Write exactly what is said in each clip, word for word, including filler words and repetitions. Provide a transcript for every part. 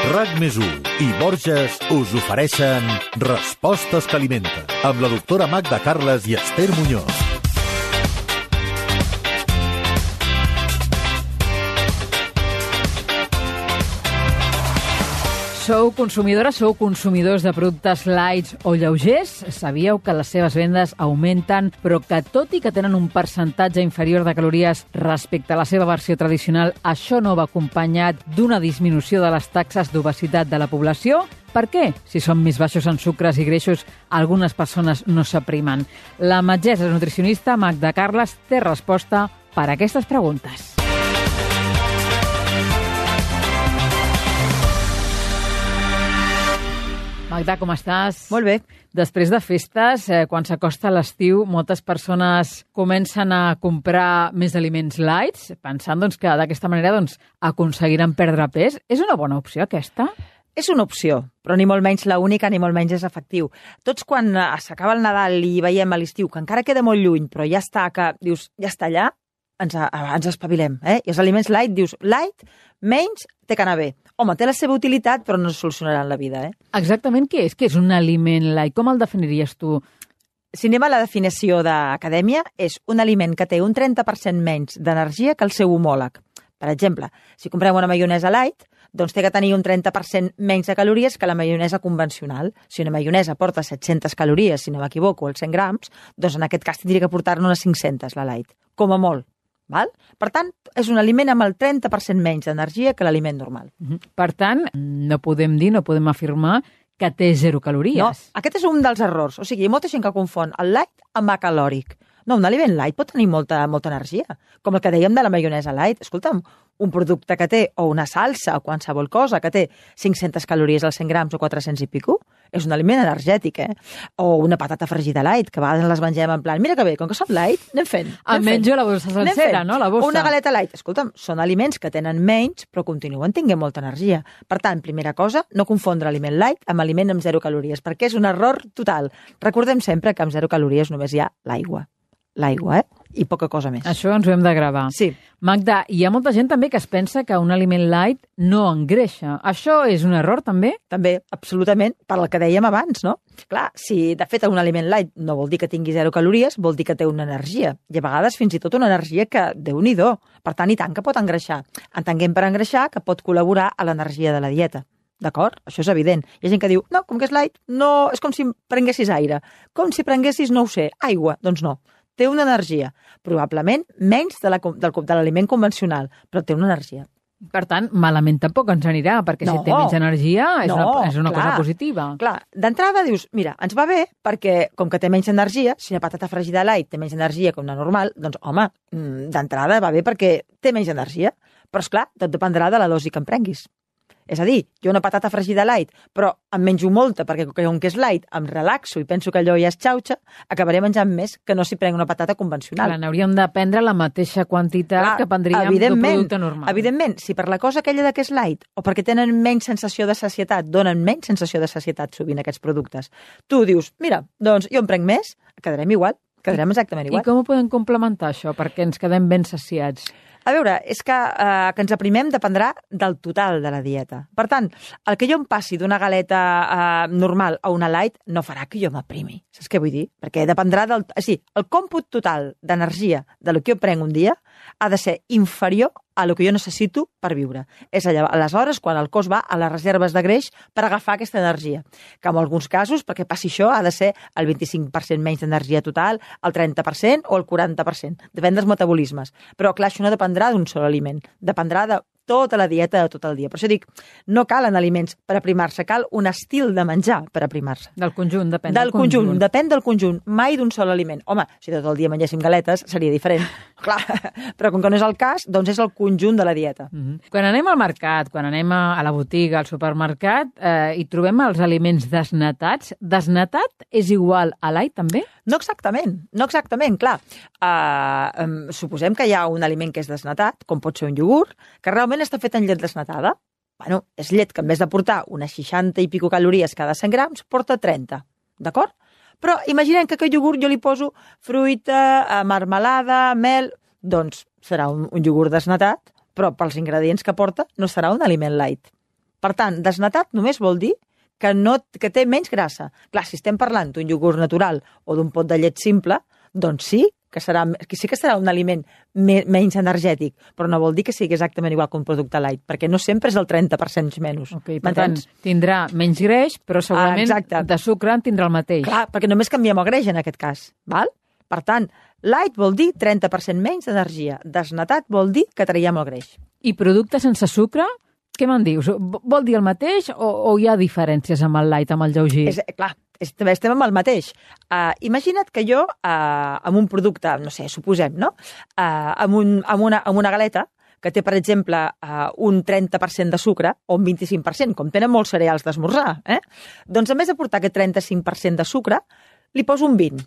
RAC més u i Borges us ofereixen Respostes que alimenten, amb la doctora Magda Carles i Esther Muñoz. Sou consumidores, sou consumidors de productes lights o lleugers? Sabíeu que les seves vendes augmenten, però que tot i que tenen un percentatge inferior de calories respecte a la seva versió tradicional, això no va acompanyat d'una disminució de les taxes d'obesitat de la població? Per què? Si són més baixos en sucres i greixos, algunes persones no s'aprimen. La metgessa nutricionista Magda Carles té resposta per a aquestes preguntes. Magda, com estàs? Molt bé. Després de festes, eh, quan s'acosta l'estiu, moltes persones comencen a comprar més aliments lights, pensant doncs, que d'aquesta manera doncs, aconseguiran perdre pes. És una bona opció, aquesta? És una opció, però ni molt menys la única ni molt menys és efectiu. Tots quan s'acaba el Nadal i veiem a l'estiu, que encara queda molt lluny, però ja està, que dius, ja està allà, ens, ens espavilem. Eh? I els aliments light, dius, light, menys, té que anar bé. Home, té la seva utilitat, però no solucionaran la vida. Eh? Exactament què és? Què és un aliment light? Com el definiries tu? Si anem a la definició d'acadèmia, és un aliment que té un trenta per cent menys d'energia que el seu homòleg. Per exemple, si comprem una maionesa light, doncs té que tenir un trenta per cent menys de calories que la maionesa convencional. Si una maionesa porta set-centes calories, si no m'equivoco, els cent grams, doncs en aquest cas tindria que portar-ne unes cinc-centes, la light, com a molt. Val? Per tant, és un aliment amb el trenta per cent menys d'energia que l'aliment normal. Per tant, no podem dir, no podem afirmar que té zero calories. No, aquest és un dels errors. O sigui, hi ha molta gent que confon el light amb acalòric. No, un aliment light pot tenir molta, molta energia, com el que dèiem de la maionesa light. Escolta'm, un producte que té, o una salsa, o qualsevol cosa, que té cinc-centes calories als cent grams o quatre-cents i pico, és un aliment energètic, eh? O una patata fregida light, que a vegades les mengem en plan, mira que bé, com que són light, anem fent. Em menjo la bossa sencera, no? La bossa. O una galeta light. Escolta'm, són aliments que tenen menys, però continuen tenint molta energia. Per tant, primera cosa, no confondre aliment light amb aliment amb zero calories, perquè és un error total. Recordem sempre que amb zero calories només hi ha l'aigua. L'aigua, eh? I poca cosa més. Això ens ho hem de gravar. Sí. Magda, hi ha molta gent també que es pensa que un aliment light no engreixa. Això és un error, també? També, absolutament, per el que dèiem abans, no? Clar, si de fet un aliment light no vol dir que tingui zero calories, vol dir que té una energia. I a vegades fins i tot una energia que, déu-n'hi-do, per tant, i tant que pot engreixar. Entenguem per engreixar que pot col·laborar a l'energia de la dieta. D'acord? Això és evident. Hi ha gent que diu, no, com que és light, no, és com si prenguessis aire. Com si prenguessis, no ho sé, aigua. Doncs no. Té una energia, probablement menys de l'aliment convencional, però té una energia. Per tant, malament tampoc ens anirà, perquè no, si té menys energia és no, una, és una clar, cosa positiva. Clar, d'entrada dius, mira, ens va bé perquè, com que té menys energia, si una patata fregida light té menys energia que una normal, doncs, home, d'entrada va bé perquè té menys energia. Però, esclar, tot dependrà de la dosi que en prenguis. És a dir, jo una patata fregida light, però em menjo molta, perquè com que és light, em relaxo i penso que allò ja és xauxa, acabaré menjant més que no si prenc una patata convencional. Clar, n'hauríem de prendre la mateixa quantitat Clar, que prendríem d'un producte normal. Evidentment, si per la cosa aquella de que és light, o perquè tenen menys sensació de sacietat, donen menys sensació de sacietat sovint aquests productes, tu dius, mira, doncs jo en prenc més, quedarem igual, quedarem exactament igual. I com ho podem complementar, això, perquè ens quedem ben saciats? A veure, és que eh, que ens aprimem dependrà del total de la dieta. Per tant, el que jo em passi d'una galeta eh, normal a una light no farà que jo m'aprimi. Saps què vull dir? Perquè dependrà del... O sigui, el còmput total d'energia de lo que jo prenc un dia ha de ser inferior a lo que jo necessito per viure. És allà, aleshores, quan el cos va a les reserves de greix per agafar aquesta energia. Que en alguns casos, perquè passi això, ha de ser el vint-i-cinc per cent menys d'energia total, el trenta per cent o el quaranta per cent. Depèn dels metabolismes. Però, clar, això no dependrà d'un sol aliment. Dependrà de tota la dieta de tot el dia. Per això dic, no calen aliments per aprimar-se, cal un estil de menjar per aprimar-se. Del conjunt, depèn del, del conjunt. conjunt. Depèn del conjunt, mai d'un sol aliment. Home, si tot el dia mengéssim galetes seria diferent, clar, però com que no és el cas, doncs és el conjunt de la dieta. Mm-hmm. Quan anem al mercat, quan anem a, a la botiga, al supermercat, eh, i trobem els aliments desnatats, desnatat és igual a light també? No exactament, no exactament, clar. Uh, um, suposem que hi ha un aliment que és desnatat, com pot ser un iogurt, que realment està fet en llet desnatada. Bueno, és llet que en vez de portar unes seixanta i pico calories cada cent grams, porta trenta, d'acord? Però imaginem que aquest iogurt jo li poso fruita, marmelada, mel, doncs serà un, un iogurt desnatat, però pels ingredients que porta no serà un aliment light. Per tant, desnatat només vol dir que, no, que té menys grassa. Clar, si estem parlant d'un iogurt natural o d'un pot de llet simple, doncs sí, que serà, que sí que serà un aliment me, menys energètic, però no vol dir que sigui exactament igual que un producte light, perquè no sempre és el trenta per cent menys. Okay, per tant, tindrà menys greix, però segurament ah, de sucre en tindrà el mateix. Clar, perquè només canviem el greix en aquest cas. Val? Per tant, light vol dir trenta per cent menys d'energia. Desnatat vol dir que traiem el greix. I producte sense sucre? Què me'n dius? Vol dir el mateix o, o hi ha diferències amb el light, amb el lleuger? És, clar, estem amb el mateix. Uh, imagina't que jo, uh, amb un producte, no sé, suposem, no? Uh, amb, un, amb, una, amb una galeta que té, per exemple, uh, un trenta per cent de sucre o un vint-i-cinc per cent, com tenen molts cereals d'esmorzar, eh? Doncs, a més de portar aquest trenta-cinc per cent de sucre, li poso un vint.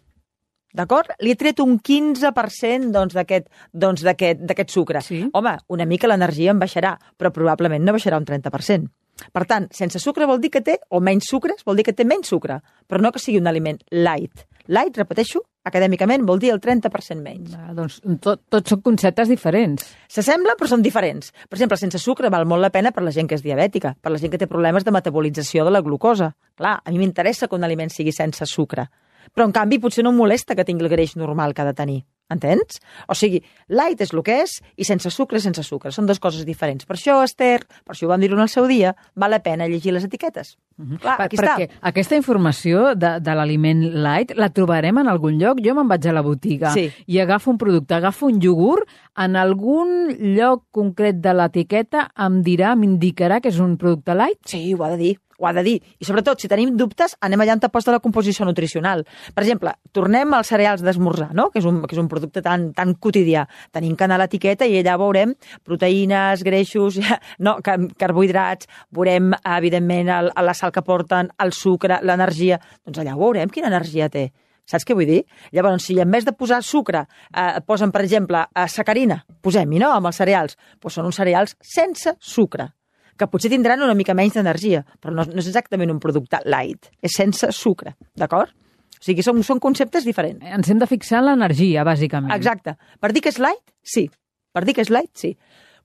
D'acord? Li he tret un quinze per cent doncs, d'aquest doncs, d'aquest sucre. Sí. Home, una mica l'energia em baixarà, però probablement no baixarà un trenta per cent. Per tant, sense sucre vol dir que té, o menys sucres, vol dir que té menys sucre, però no que sigui un aliment light. Light, repeteixo, acadèmicament vol dir el trenta per cent menys. Ah, doncs tot, tots són conceptes diferents. S'assembla, però són diferents. Per exemple, sense sucre val molt la pena per la gent que és diabètica, per la gent que té problemes de metabolització de la glucosa. Clar, a mi m'interessa que un aliment sigui sense sucre. Però, en canvi, potser no em molesta que tingui el greix normal que ha de tenir. Entens? O sigui, light és el que és i sense sucre, sense sucre. Són dues coses diferents. Per això, Esther, per això ho vam dir en el seu dia, val la pena llegir les etiquetes. Uh-huh. Clar, per, aquí perquè està. Aquesta informació de, de l'aliment light la trobarem en algun lloc? Jo me'n vaig a la botiga sí. i agafo un producte, agafo un iogurt, en algun lloc concret de l'etiqueta em dirà, m'indicarà que és un producte light? Sí, ho ha de dir. Ho ha de dir. I sobretot, si tenim dubtes, anem allà on te posta la composició nutricional. Per exemple, tornem als cereals d'esmorzar, no? que, és un, que és un producte tan, tan quotidià. Tenim que anar a l'etiqueta i allà veurem proteïnes, greixos, no, carbohidrats, veurem, evidentment, el, la sal que porten, el sucre, l'energia. Doncs allà veurem quina energia té. Saps què vull dir? Llavors, si en vez de posar sucre eh, posen, per exemple, eh, sacarina, posem-hi, no?, amb els cereals, doncs són uns cereals sense sucre, que potser tindran una mica menys d'energia, però no, no és exactament un producte light, és sense sucre, d'acord? O sigui, són, són conceptes diferents. Ens hem de fixar en l'energia, bàsicament. Exacte. Per dir que és light, sí. Per dir que és light, sí.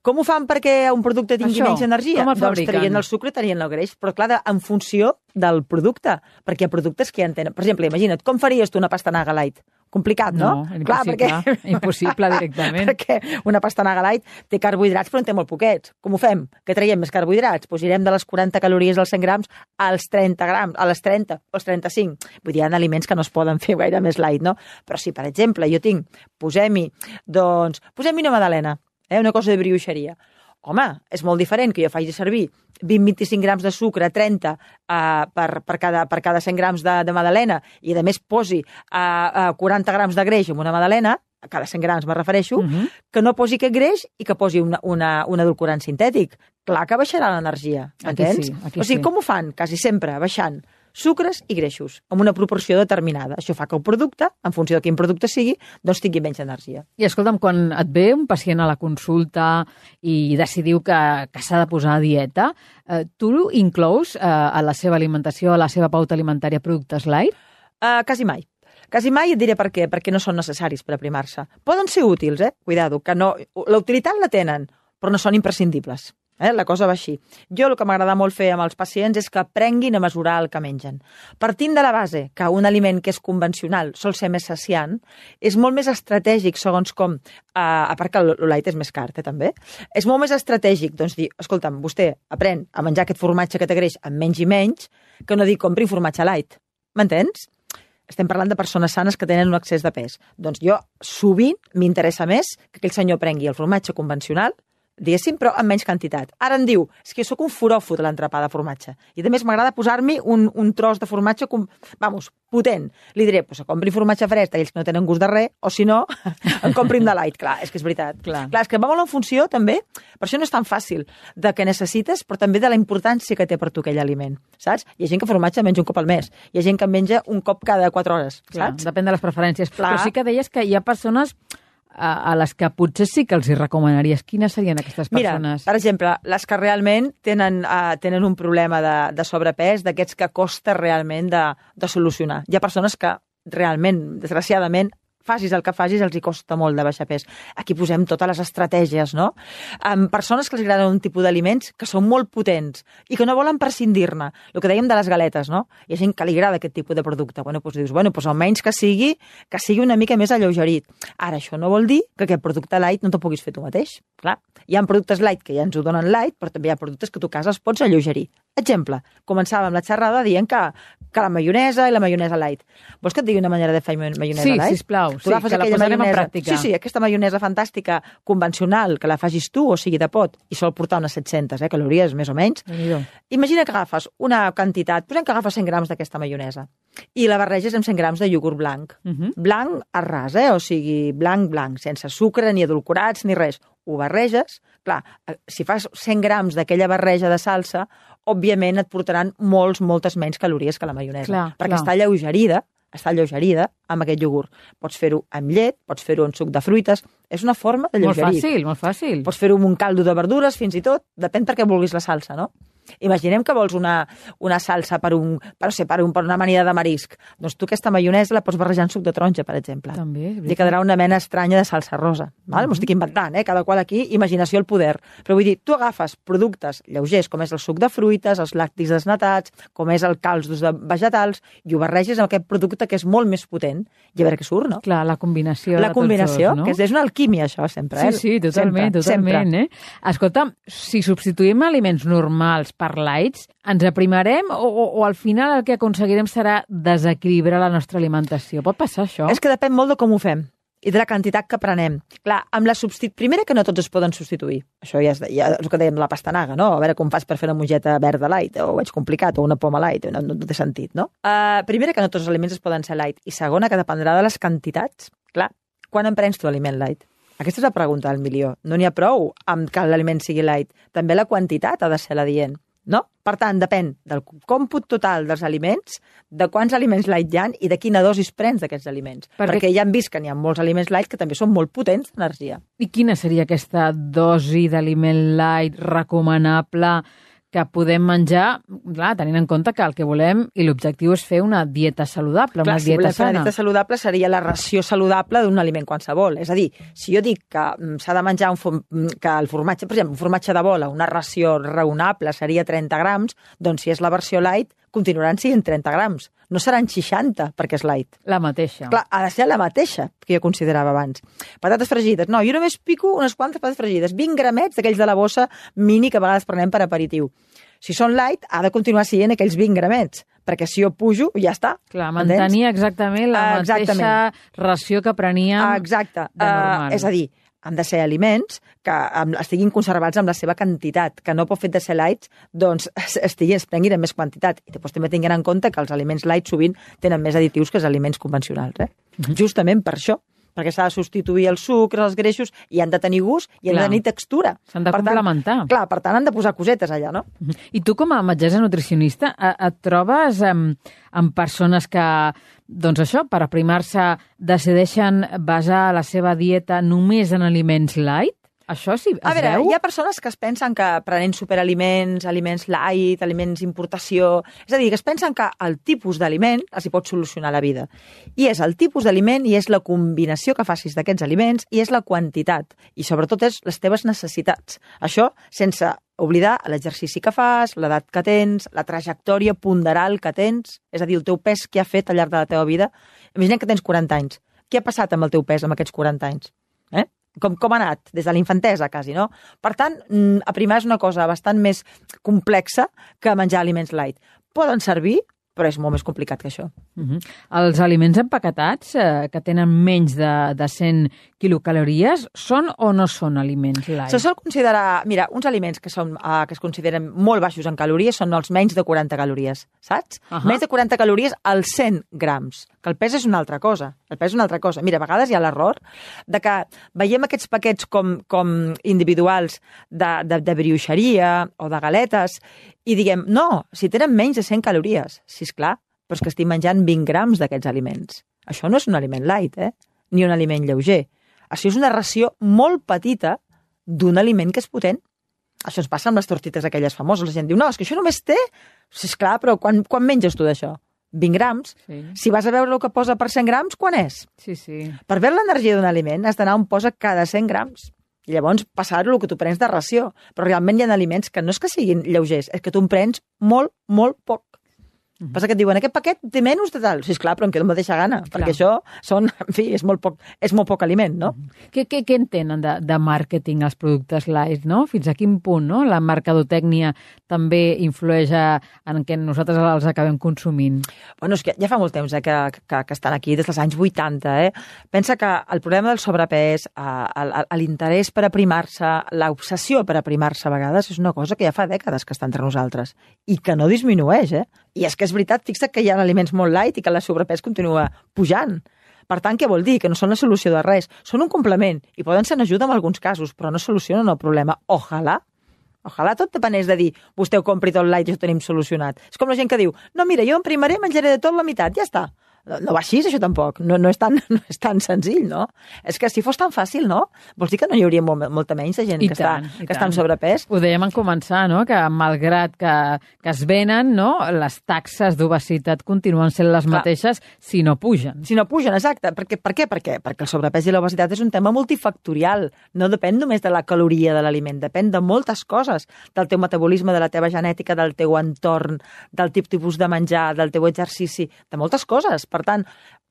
Com ho fan perquè un producte tingui Això, menys energia? com el doncs fabriquen? traient el sucre, traient el greix, però clar, de, en funció del producte, perquè hi ha productes que ja en tenen. Per exemple, imagina't, com faries tu una pastanaga light? Complicat, no? No, impossible, clar, perquè... impossible directament. Perquè una pastanaga light té carbohidrats, però en té molt poquets. Com ho fem? Que traiem més carbohidrats? Doncs irem de les quaranta calories als cent grams als trenta grams, a les trenta, als trenta-cinc. Vull dir, hi ha aliments que no es poden fer gaire més light, no? Però si, per exemple, jo tinc, posem-hi, doncs, posem-hi una magdalena, eh, una cosa de brioixeria. Home, és molt diferent que jo faci servir vint a vint-i-cinc grams de sucre, trenta uh, per, per, cada, per cada cent grams de, de magdalena, i a més posi uh, uh, quaranta grams de greix en una magdalena, a cada cent grams me refereixo, uh -huh. que no posi aquest greix i que posi una, una, un edulcorant sintètic. Clar que baixarà l'energia, entens? Aquí sí, aquí o sigui, sí. Com ho fan? Quasi sempre baixant sucres i greixos, amb una proporció determinada. Això fa que el producte, en funció de quin producte sigui, doncs tingui menys energia. I escolta'm, quan et ve un pacient a la consulta i decidiu que, que s'ha de posar a dieta, eh, tu inclous eh, a la seva alimentació, a la seva pauta alimentària, productes light? Uh, quasi mai. Quasi mai et diré per què, perquè no són necessaris per aprimar-se. Poden ser útils, eh? Cuidado, que no... La utilitat la tenen, però no són imprescindibles. Eh? La cosa va així. Jo el que m'agrada molt fer amb els pacients és que aprenguin a mesurar el que mengen. Partint de la base que un aliment que és convencional sol ser més saciant, és molt més estratègic, segons com, eh, a part que el light és més car, eh, també, és molt més estratègic, doncs dir, escolta'm, vostè aprèn a menjar aquest formatge que té greix amb menys i menys, que no dir compri formatge light. M'entens? Estem parlant de persones sanes que tenen un excés de pes. Doncs jo, sovint, m'interessa més que aquell senyor prengui el formatge convencional, diguéssim, però amb menys quantitat. Ara em diu, és que jo sóc un foròfot de l'entrepà de formatge. I a més m'agrada posar-m'hi un, un tros de formatge, com, vamos, potent. Li diré, pues, compri formatge fresc, aquells que no tenen gust de res, o si no, en comprin de light. Clar, és que és veritat. Clar. Clar, és que va molt en funció, també, per això no és tan fàcil, de què necessites, però també de la importància que té per tu aquell aliment, saps? Hi ha gent que formatge menja un cop al mes, hi ha gent que en menja un cop cada quatre hores, Clar, saps? depèn de les preferències. Clar. Però sí que deies que hi ha persones a, a les que potser sí que els hi recomanaries. Quines serien aquestes persones? Mira, per exemple, les que realment tenen, uh, tenen un problema de, de sobrepès, d'aquests que costa realment de, de solucionar. Hi ha persones que realment, desgraciadament, facis el que facis, els hi costa molt de baixar pes. Aquí posem totes les estratègies, no? Amb persones que els agraden un tipus d'aliments que són molt potents i que no volen prescindir-ne. El que dèiem de les galetes, no? Hi ha gent que li agrada aquest tipus de producte. Bueno, doncs dius, bueno, doncs almenys que sigui, que sigui una mica més alleugerit. Ara, això no vol dir que aquest producte light no te'l puguis fer tu mateix. Clar, hi ha productes light que ja ens ho donen light, però també hi ha productes que tu a casa els pots alleugerir. Exemple, començàvem la xerrada dient que, que la maionesa i la maionesa light. Vols que et digui una manera de fer maionesa sí, light? Sí, sisplau, tu sí, que la posarem maionesa, en pràctica. Sí, sí, aquesta maionesa fantàstica convencional, que la facis tu, o sigui de pot, i sol portar unes set-centes eh, calories, més o menys. Imagina que agafes una quantitat, posem que agafes cent grams d'aquesta maionesa, i la barreges amb cent grams de iogurt blanc. Uh -huh. Blanc a ras, eh? O sigui, blanc, blanc, sense sucre, ni edulcorats, ni res. Ho barreges, clar, si fas cent grams d'aquella barreja de salsa, òbviament et portaran molts, moltes menys calories que la maionesa, clar, perquè clar. està alleugerida, està alleugerida amb aquest iogurt. Pots fer-ho amb llet, pots fer-ho amb suc de fruites, és una forma d'alleugerir. Molt fàcil, molt fàcil. Pots fer-ho amb un caldo de verdures, fins i tot, depèn per què vulguis la salsa, no? Imaginem que vols una, una salsa per, un, per, sé, per, un, per una amanida de marisc. Doncs tu aquesta maionesa la pots barrejar en suc de taronja, per exemple. També, I quedarà una mena estranya de salsa rosa. Val? M'ho estic inventant, eh? Cada qual aquí, imaginació al poder. Però vull dir, tu agafes productes lleugers, com és el suc de fruites, els làctics desnatats, com és el caldos de vegetals, i ho barreges amb aquest producte que és molt més potent, i a veure què surt, no? Clar, la combinació la de combinació, tots dos, no? que és, és una alquímia, això, sempre. Eh? Sí, sí, totalment, sempre, totalment. Sempre. Eh? Escolta, si substituïm aliments normals per lights, ens aprimarem o, o, o al final el que aconseguirem serà desequilibrar la nostra alimentació? Pot passar això? És que depèn molt de com ho fem i de la quantitat que prenem. Clar, amb la substit... Primera, que no tots es poden substituir. Això ja és, ja és el que dèiem de la pastanaga, no? A veure com fas per fer una mongeta verda light, o ho veig complicat, o una poma light, no, no té sentit, no? Uh, primera, que no tots els aliments es poden ser light. I segona, que dependrà de les quantitats. Clar, quan en prens tu aliment light? Aquesta és la pregunta del milió. No n'hi ha prou amb que l'aliment sigui light. També la quantitat ha de ser la dient. No? Per tant, depèn del còmput total dels aliments, de quants aliments light hi ha i de quina dosis prens d'aquests aliments. Perquè... Perquè ja hem vist que n'hi ha molts aliments light que també són molt potents d'energia. I quina seria aquesta dosi d'aliment light recomanable que podem menjar, clar, tenint en compte que el que volem i l'objectiu és fer una dieta saludable, clar, una si dieta sana. sana. Una dieta saludable seria la ració saludable d'un aliment qualsevol. És a dir, si jo dic que s'ha de menjar un form... que el formatge, per exemple, un formatge de bola, una ració raonable seria trenta grams, doncs si és la versió light, continuaran sent trenta grams. No seran seixanta, perquè és light. La mateixa. Clar, ha de ser la mateixa que jo considerava abans. Patates fregides. No, jo només pico unes quantes patates fregides. vint gramets d'aquells de la bossa mini que a vegades prenem per aperitiu. Si són light, ha de continuar sent aquells vint gramets, perquè si jo pujo, ja està. Clar, mantenir exactament la exactament. mateixa ració que preníem Exacte. de normal. Uh, és a dir, han de ser aliments que estiguin conservats amb la seva quantitat, que no pot fet de ser lights, doncs estiguin, es prenguin en més quantitat. I després també tinguin en compte que els aliments light sovint tenen més additius que els aliments convencionals. Eh? Uh-huh. Justament per això, perquè s'ha de substituir el sucre, els greixos, i han de tenir gust i han clar. de tenir textura. S'han de per complementar. Tant, clar, per tant, han de posar cosetes allà, no? Uh-huh. I tu, com a metgessa nutricionista, et trobes amb, amb persones que, doncs això, per aprimar-se, decideixen basar la seva dieta només en aliments light? Això sí, es a veure, veu? Hi ha persones que es pensen que prenent superaliments, aliments light, aliments importació... És a dir, que es pensen que el tipus d'aliment els hi pot solucionar la vida. I és el tipus d'aliment i és la combinació que facis d'aquests aliments i és la quantitat. I sobretot és les teves necessitats. Això sense oblidar l'exercici que fas, l'edat que tens, la trajectòria ponderal que tens, és a dir, el teu pes que ha fet al llarg de la teva vida. Imaginem que tens quaranta anys. Què ha passat amb el teu pes amb aquests quaranta anys? Eh? Com, com ha anat? Des de la infantesa, quasi, no? Per tant, aprimar és una cosa bastant més complexa que menjar aliments light. Poden servir, però és molt més complicat que això. Uh-huh. Els aliments empaquetats, eh, que tenen menys de, de cent quilocalories, són o no són aliments light? Se sol considerar... Mira, uns aliments que, són, uh, que es consideren molt baixos en calories són els menys de quaranta calories, saps? Uh-huh. Menys de quaranta calories als cent grams, que el pes és una altra cosa. El pes és una altra cosa. Mira, a vegades hi ha l'error de que veiem aquests paquets com, com individuals de, de, de brioixeria o de galetes i diguem, no, si tenen menys de cent calories. Sí, esclar, però és que estic menjant vint grams d'aquests aliments. Això no és un aliment light, eh? Ni un aliment lleuger. Això és una ració molt petita d'un aliment que és potent. Això ens passa amb les tortites aquelles famoses. La gent diu, no, és que això només té... Sí, esclar, però quan, quan menges tu d'això? vint grams, Sí. si vas a veure el que posa per cent grams, quan és? Sí, sí. Per veure l'energia d'un aliment has d'anar on posa cada cent grams. I llavors passar-ho el que tu prens de ració. Però realment hi ha aliments que no és que siguin lleugers, és que tu en prens molt, molt poc. Mm-hmm. Passa que et diuen, aquest paquet té menys de tal. Sí, esclar, però em quedo amb mateixa gana, clar. Perquè això són, en fi, és molt poc, és molt poc aliment, no? Mm-hmm. Què, què, què entenen de, de màrqueting els productes light, no? Fins a quin punt, no? La mercadotècnia també influeix a, en què nosaltres els acabem consumint. Bueno, és que ja fa molt temps eh, que, que, que estan aquí, des dels anys vuitanta. Eh? Pensa que el problema del sobrepès, eh, l'interès per aprimar-se, l'obsessió per aprimar-se a vegades, és una cosa que ja fa dècades que està entre nosaltres i que no disminueix, eh? I és que és veritat, fixa't que hi ha aliments molt light i que el sobrepès continua pujant. Per tant, què vol dir? Que no són la solució de res. Són un complement i poden ser en ajuda en alguns casos, però no solucionen el problema. Ojalà. Ojalà tot depenés de dir, vostè ho compri tot light i ho tenim solucionat. És com la gent que diu, no, mira, jo em primaré, menjaré de tot la meitat, ja està. No, no va així, això tampoc. No, no, és tan, no és tan senzill, no? És que si fos tan fàcil, no? Vols dir que no hi hauria molt, molta menys de gent I que, tant, està, i que està en tant. sobrepès? Ho dèiem en començar, no? Que malgrat que, que es venen, no? Les taxes d'obesitat continuen sent les Clar. mateixes si no pugen. Si no pugen, exacte. Per què? Per què? Per què? Perquè el sobrepès i l'obesitat és un tema multifactorial. No depèn només de la caloria de l'aliment, depèn de moltes coses, del teu metabolisme, de la teva genètica, del teu entorn, del tipus de menjar, del teu exercici, de moltes coses. Per tant,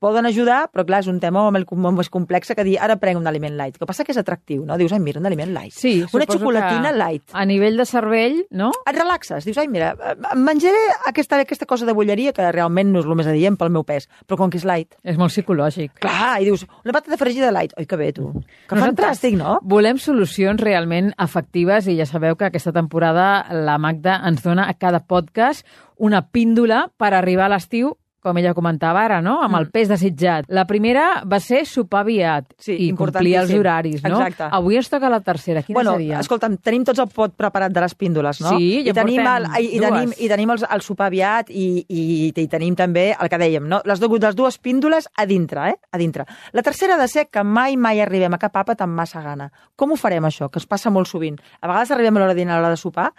poden ajudar, però clar, és un tema molt, molt més complex que dir, ara prenc un aliment light. El que passa que és atractiu, no? Dius, ai, mira, un aliment light. Sí, una suposo xocolatina que light. A nivell de cervell, no? Et relaxes, dius, ai, mira, em menjaré aquesta, aquesta cosa de bolleria que realment no és el més adient pel meu pes, però com que és light. És molt psicològic. Clar, i dius, una patata fregida light. Oi, que bé, tu. Que fantàstic, no? Volem solucions realment efectives i ja sabeu que aquesta temporada la Magda ens dona a cada podcast una píndola per arribar a l'estiu, com ella comentava ara, no? Amb el pes desitjat. La primera va ser sopar aviat Sí, i complir els horaris, no? Exacte. Avui ens toca la tercera. Quina Bueno, seria? escolta'm, tenim tots el pot preparat de les píndoles, no? Sí, ja I tenim portem el, i, i dues. tenim, i tenim els, el sopar aviat i, i, i tenim també el que dèiem, no? Les, dues, les dues píndoles a dintre, eh? A dintre. La tercera ha de ser que mai, mai arribem a cap àpat amb massa gana. Com ho farem, això? Que es passa molt sovint. A vegades arribem a l'hora de dinar, a l'hora de sopar,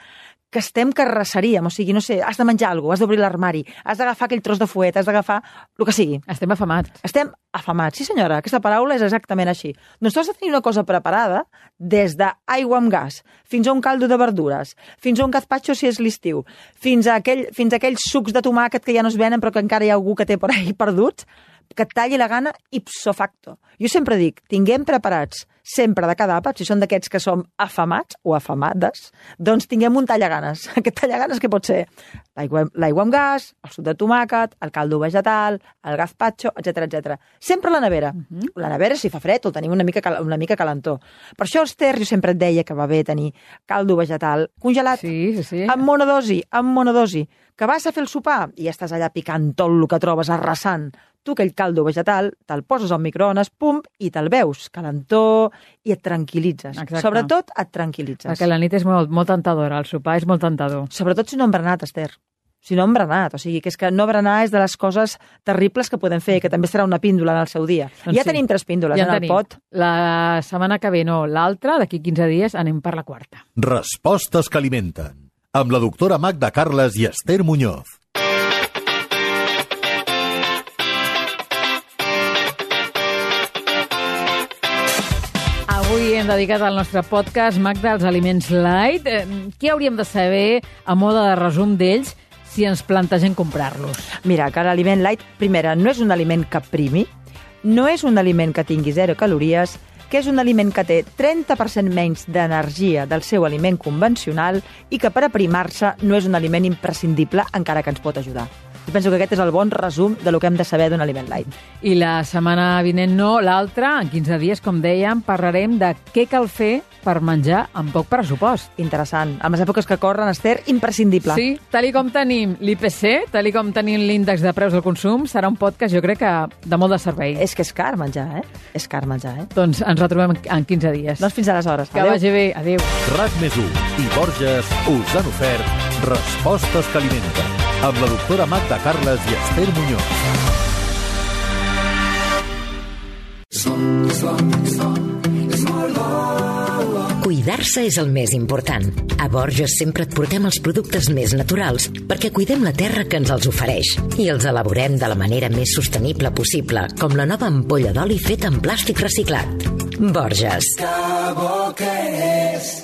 que estem que arrasaríem, o sigui, no sé, has de menjar alguna cosa, has d'obrir l'armari, has d'agafar aquell tros de fuet, has d'agafar el que sigui. Estem afamats. Estem afamats. Sí, senyora, aquesta paraula és exactament així. Doncs tu has de tenir una cosa preparada des d'aigua amb gas, fins a un caldo de verdures, fins a un gazpacho si és l'estiu, fins a, aquell, fins a aquells sucs de tomàquet que ja no es venen però que encara hi ha algú que té per ahí perduts, que et talli la gana ipso facto. Jo sempre dic, tinguem preparats sempre de cada àpat, si són d'aquests que som afamats o afamades, doncs tinguem un tallaganes. Aquest tallaganes que pot ser l'aigua amb gas, el suc de tomàquet, el caldo vegetal, el gazpacho, etcètera, etcètera. Sempre a la nevera. Uh-huh. La nevera, si fa fred, el tenim una mica, una mica calentó. Per això, Esther, jo sempre et deia que va bé tenir caldo vegetal congelat, Sí, sí, sí. amb monodosi, amb monodosi, que vas a fer el sopar i ja estàs allà picant tot el que trobes, arrasant. Tu aquell caldo vegetal, te'l poses al microones, pum, i te'l veus, calentó, i et tranquil·litzes. Exacte. Sobretot et tranquil·litzes. Perquè la nit és molt, molt tentadora, el sopar és molt tentador. Sobretot si no hem berenat, Esther. Si no hem berenat, o sigui, que és que no berenar és de les coses terribles que podem fer, que també serà una píndola en el seu dia. Doncs ja sí. tenim tres píndoles Ja en tenim. el pot. La setmana que ve no, l'altra, d'aquí quinze dies, anem per la quarta. Respostes que alimenten. Amb la doctora Magda Carles i Esther Muñoz. Avui hem dedicat al nostre podcast, Magda, als aliments light. Eh, Què hauríem de saber, a moda de resum d'ells, si ens plantegem comprar-los? Mira, que l'aliment light, primera, no és un aliment que primi, no és un aliment que tingui zero calories, que és un aliment que té trenta per cent menys d'energia del seu aliment convencional i que per aprimar-se no és un aliment imprescindible, encara que ens pot ajudar. Jo penso que aquest és el bon resum de lo que hem de saber d'un aliment light. I la setmana vinent no, l'altra, en quinze dies, com dèiem, parlarem de què cal fer per menjar amb poc pressupost. Interessant. En les èpoques que corren, Esther, imprescindible. Sí, tal i com tenim l'I P C, tal i com tenim l'índex de preus del consum, serà un podcast, jo crec, que de molt de servei. És que és car menjar, eh? És car menjar, eh? Doncs ens retrobem en quinze dies. Doncs fins aleshores. Que vagi bé. Adéu. RAC més u i Borges us han ofert Respostes que alimenten amb la doctora Magda Carles i Esther Muñoz. Cuidar Cuidar-se és el més important. A Borges sempre et portem els productes més naturals perquè cuidem la terra que ens els ofereix i els elaborem de la manera més sostenible possible, com la nova ampolla d'oli feta en plàstic reciclat. Borges. Que bo que és